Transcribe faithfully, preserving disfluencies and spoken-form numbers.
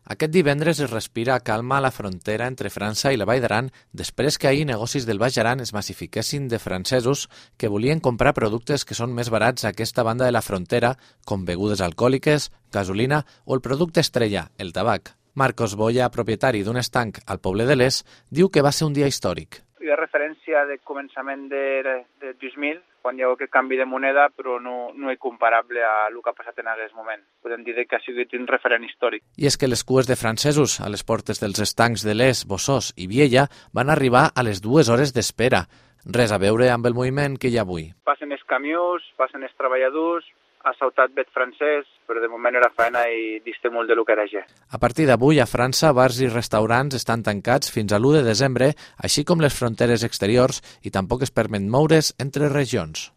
Aquest divendres es respira calma a la frontera entre França i la Vall d'Aran després que ahir negocis del Baix Aran es massifiquessin de francesos que volien comprar productes que són més barats a aquesta banda de la frontera, com begudes alcohòliques, gasolina o el producte estrella, el tabac. Marcos Boya, propietari d'un estanc al poble de Les, diu que va ser un dia històric. Hi ha referència de començament de, de dos mil, quan hi ha aquest canvi de moneda, però no, no és comparable a el que ha passat en aquest moment. Podem dir que ha sigut un referent històric. I és que les cues de francesos a les portes dels estancs de Les, Bossós i Viella van arribar a les dues hores d'espera. Res a veure amb el moviment que hi ha avui. Passen els camions, passen els treballadors, ha saltat vet francès, però de moment era feina i dista molt de lo que era ja. A partir d'avui, a França, bars i restaurants estan tancats fins a l'u de desembre, així com les fronteres exteriors, i tampoc es permet moure's entre regions.